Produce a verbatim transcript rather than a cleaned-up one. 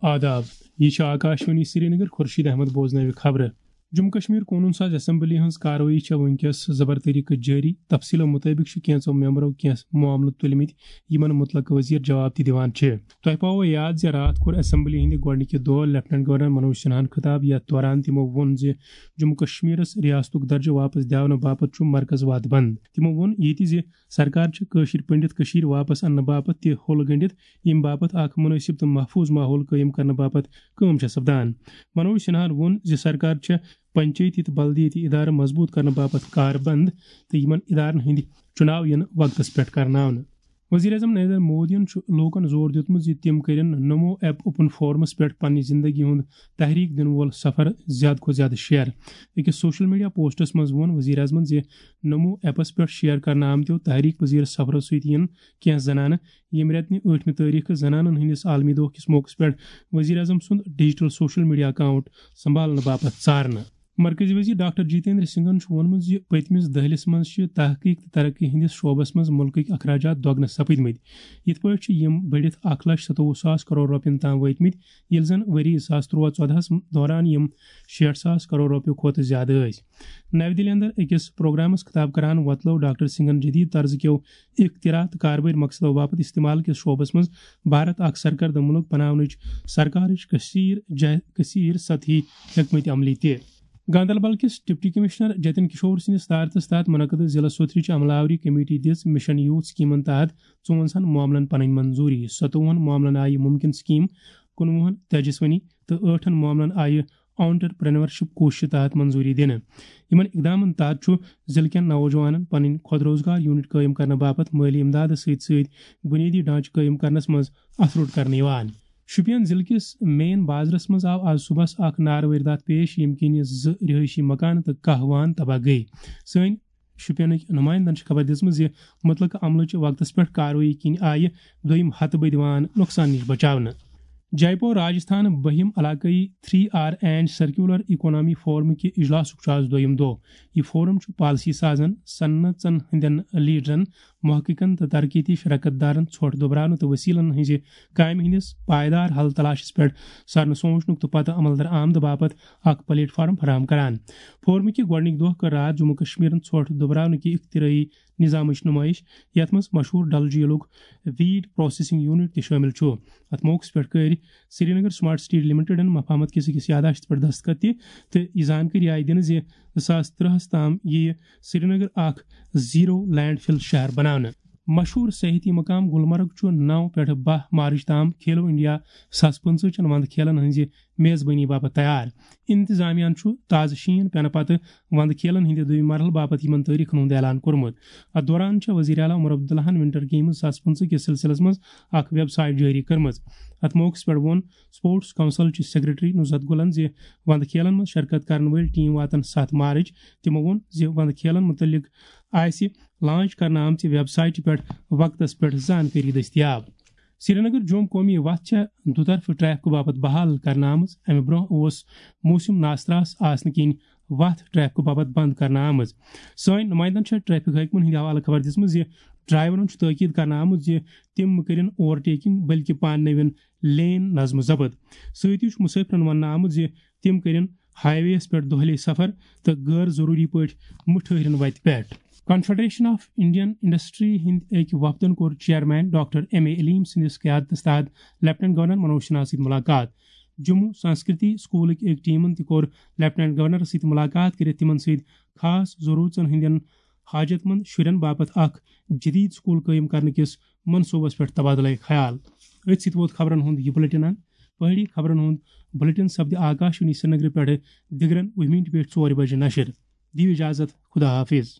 آداب، یہِ چھِ آکاشوانی سرینگر، خورشید احمد بوزنٲوِ خبرٕ۔ جموں کشمیر قونوٗن ساز اسمبلی ہٕنٛز کاروٲیی چھےٚ وٕنکیٚس زبر طریقہٕ جٲری۔ تفصیٖلو مُطٲبِق چھِ کینٛژو ممبرو کینٛہہ معاملہٕ تُلمٕتۍ، یِمن مُتعلقہٕ وزیر جواب تہِ دِوان چھِ۔ تۄہہِ پاوو یاد زِ راتھ کوٚر اسمبلی ہٕنٛدِ گۄڈٕنِکہِ دۄہ لیفٹیننٹ گورنر منوج سنہاہن خطاب، یتھ دوران تِمو ووٚن زِ جموں کشمیرس ریاستُک درجہٕ واپس دِنہٕ باپتھ چھُ مرکز وعدٕ بنٛد۔ تِمو ووٚن یہِ تہِ زِ سرکار چھِ کٲشِر پنڈت کٔشیٖر واپس اننہٕ باپتھ تہِ ہوٚل گٔنڈِتھ، ییٚمہِ باپتھ اکھ مُنٲسِب تہٕ محفوٗظ ماحول قٲیِم کرنہٕ باپتھ کٲم چھےٚ سپدان۔ منوج سنہاہن ووٚن زِ سرکار چھےٚ پنچٲیتی تہٕ بلدیٲتی ادارٕ مضبوٗط کرنہٕ باپتھ کاربند تہٕ یِمن ادارن ہٕنٛدۍ چُناو یِن وقتس پٮ۪ٹھ کرناونہٕ۔ وزیر اعظم نریندر مودیَن چھُ لوٗکَن زور دیُتمُت زِ تِم کٔرِن نمو ایپ اوپن فورمس پٮ۪ٹھ پننہِ زندگی ہُنٛد تحریک دِنہٕ وول سفر زیادٕ کھۄتہٕ زیادٕ شیئر۔ أکِس سوشل میڈیا پوسٹس منٛز ووٚن وزیر اعظمن زِ نمو ایپس پٮ۪ٹھ شیئر کرنہٕ آمتیو تحریک پذیر سفرو سۭتۍ یِن کینٛہہ زنانہٕ۔ ییٚمہِ رٮ۪تہٕ نہِ ٲٹھمہِ تٲریخہٕ زنانن ہٕنٛدِس عالمی دۄہ کِس موقعس پٮ۪ٹھ وزیر اعظم سُنٛد ڈیجیٹل سوشل میڈیا اکاؤنٹ سنبھالنہٕ باپتھ ژارنہٕ۔ مرکزی وزیر ڈاکٹر جتیندر سنگھن چھُ ووٚنمُت زِ پٔتمِس دٔہلِس منٛز چھِ تحقیق تہٕ ترقی ہٕنٛدِس شعبس منٛز مُلکٕکۍ اخراجات دۄگنہٕ سپٕدمٕتۍ۔ یِتھ پٲٹھۍ چھِ یِم بٔڑِتھ اکھ لچھ ستووُہ ساس کرور رۄپین تام وٲتمٕتۍ، ییٚلہِ زن ؤری زٕ ساس تُرٛواہ ژۄدہَس دوران یِم شیٹھ ساس کرور رۄپیہِ کھۄتہٕ زیادٕ ٲسۍ۔ نَوِ دِلہِ اندر أکِس پروگرامس خطاب کران وۄتلٲو ڈاکٹر سنگھن جدید طرزٕ کیو اختراع تہٕ کاربٲرۍ مقصدو باپتھ استعمال کِس شعبس منٛز بھارت اکھ سرکردٕ مُلک بناونٕچ سرکارٕچ کثیر جہ-، کثیر سطحی حکمت عملی تہِ۔ گاندربل کِس ڈپٹی کمشنر جتن کشور سٕنٛدِس صدارتس تحت منعقدٕ ضلع سوتھرٕچ عملہ آوری کمیٹی دِژ مشن یوٗتھ سکیمن تحت ژُوَنزاہن معاملن پنٕنۍ منظوٗری۔ ستووُہن معاملن آیہِ مُمکِن سکیٖم، کُنوُہن تیجسونی تہٕ ٲٹھن معاملن آیہِ آنٹرپرینورشپ کوششہِ تحت منظوٗری دِنہٕ۔ یِمن اقدامن تحت چھُ ضلعہٕ کٮ۪ن نوجوانن پنٕنۍ خۄد روزگار یونٹ قٲیِم کرنہٕ باپتھ مٲلی امدادس سۭتۍ سۭتۍ بُنیٲدی ڈھانچہٕ قٲیِم کرنس منٛز اَتھٕ روٚٹ کرنہٕ یِوان۔ شوپین ضلعہٕ کِس مین بازرس منٛز آو آز صُبحس اکھ ناروٲرۍ داتھ پیش، ییٚمہِ کِنۍ زٕ رہٲیشی مکانہٕ تہٕ کاہ وان تباہ گٔیہِ۔ سٲنۍ شوپینٕکۍ نُمایندن چھِ خبر دِژمٕژ زِ مُتعلقہٕ عملہٕ چہِ وقتس پٮ۪ٹھ کاروٲیی کِنۍ آیہِ دوٚیِم ہتہٕ بٔدۍ وان نۄقصان نِش بچاونہٕ۔ جے پور راجستھان بٔہِم علاقٲیی three R and circular economy forum کہِ اجلاسُک چھُ آز دوٚیِم دۄہ۔ یہِ فورم چھُ پالیسی سازن، صنعژن ہٕنٛدٮ۪ن لیڈرن، محققن تہٕ ترقیتی شراکت دارن ژھۄٹھ دُبراونہٕ تہٕ وسیلن ہٕنٛزِ کامہِ ہٕنٛدِس پائیدار حل تلاشس پٮ۪ٹھ سرنہٕ سوچنُک تہٕ پتہٕ عمل درآمد باپتھ اکھ پلیٹ فارم فراہم کران۔ فورمہٕ کہِ گۄڈٕنِکۍ دۄہ کٔر راتھ جموں کشمیرن ژھۄٹھ دُبراونہٕ کہِ اختراعی نظامٕچ نمٲیش، یتھ منٛز مشہوٗر ڈل جھیلُک ویٹ پروسیسنگ یونٹ تہِ شٲمِل چھُ۔ اتھ موقعس پٮ۪ٹھ کٔرۍ سرینگر سمارٹ سٹی لمیٹڈن مفاہمت کِس أکِس یادداشتس پٮ۪ٹھ دستخط تہِ، تہٕ یہِ زانکٲری آیہِ دِنہٕ زِ زٕ ساس ترٛہَس تام یِیہِ سرینگر اکھ زیرو لینڈ فل شہر بناونہٕ۔ مشہوٗر سیاحتی مقام گلمرگ چھُ نَو پٮ۪ٹھ باہ مارچ تام کھیلو انڈیا زٕ ساس پٕنٛژٕہ چٮ۪ن وندٕ کھیلن ہٕنٛزِ میزبٲنی باپتھ تیار۔ انتظامیہ ہَن چھُ تازٕ شیٖن پٮ۪نہٕ پتہٕ وندٕ کھیلن ہٕنٛدِ دوٚیمہِ مرحلہٕ باپتھ یِمن تٲریخن ہُنٛد اعلان کوٚرمُت۔ اتھ دوران چھےٚ وزیر اعلیٰ عمر عبداللہن ونٹر گیمز زٕ ساس پٕنٛژٕہ کِس سلسلس منٛز اکھ ویب سائٹ جٲری کٔرمٕژ۔ اتھ موقعس پٮ۪ٹھ ووٚن سپورٹس کونسل چہِ سیکرٹری نُصرت گلن زِ وندٕ کھیلن منٛز شرکت کرن وٲلۍ ٹیم واتن ستھ مارچ۔ تِمو ووٚن زِ وندٕ کھیلن مُتعلق آسہِ لانچ کرنہٕ آمژِ ویب سائٹہِ پٮ۪ٹھ وقتس پٮ۪ٹھ زانکٲری دٔستیاب۔ سرینگر جوم قومی وتھ چھےٚ دُطرفہٕ ٹریفکہٕ باپتھ بحال کرنہٕ آمٕژ۔ امہِ برونٛہہ اوس موسم ناس تراس آسنہٕ کِنۍ وتھ ٹریفکہٕ باپتھ بند کرنہٕ آمٕژ۔ سٲنۍ نُمایندن چھےٚ ٹریفک حٲکمن ہٕنٛدِ حوالہٕ خبر دِژمٕژ زِ ڈرائیورن چھُ تٲکید کرنہٕ آمُت زِ تِم مہٕ کٔرِن اوور ٹیکنگ، بلکہِ پانہٕ نٔوِن لین نظم ضبط۔ سۭتی چھُ مُسٲفرن وننہٕ آمُت زِ تِم کٔرِن ہائی وے یَس پٮ۪ٹھ دۄہلے سفر تہٕ غٲر ضروٗری پٲٹھۍ مہٕ ٹھٔہرِن وتہِ پٮ۪ٹھ۔ کنفیڈریشن آف انڈین انڈسٹری ہٕنٛدۍ أکۍ وفدن کوٚر چیئرمین ڈاکٹر ایم اے علیم سٕنٛدِس قیادتس تحت لیفٹیننٹ گورنر منوج سنہا سۭتۍ مُلاقات۔ جموں سنسکرتی سکولٕکۍ أکۍ ٹیمن تہِ کوٚر لیفٹیننٹ گورنرس سۭتۍ مُلاقات کٔرِتھ تِمن سۭتۍ خاص ضروٗرژن ہٕنٛدٮ۪ن حاجت مند شُرٮ۪ن باپتھ اکھ جدید سکول قٲیِم کرنہٕ کِس منصوبس پٮ۪ٹھ تبادلہٕ خیال۔ أتھۍ سۭتۍ ووت خبرن ہُنٛد یہِ بُلٹن اند۔ پہٲڑی خبرن ہُنٛد بُلٹن سپدِ آکاشوانی سرینگرٕ پٮ۪ٹھٕ دِگرن وُہہِ مِنٹہِ پٮ۪ٹھ ژورِ بجہِ نشر۔ دِیِو اجازت، خدا حافظ۔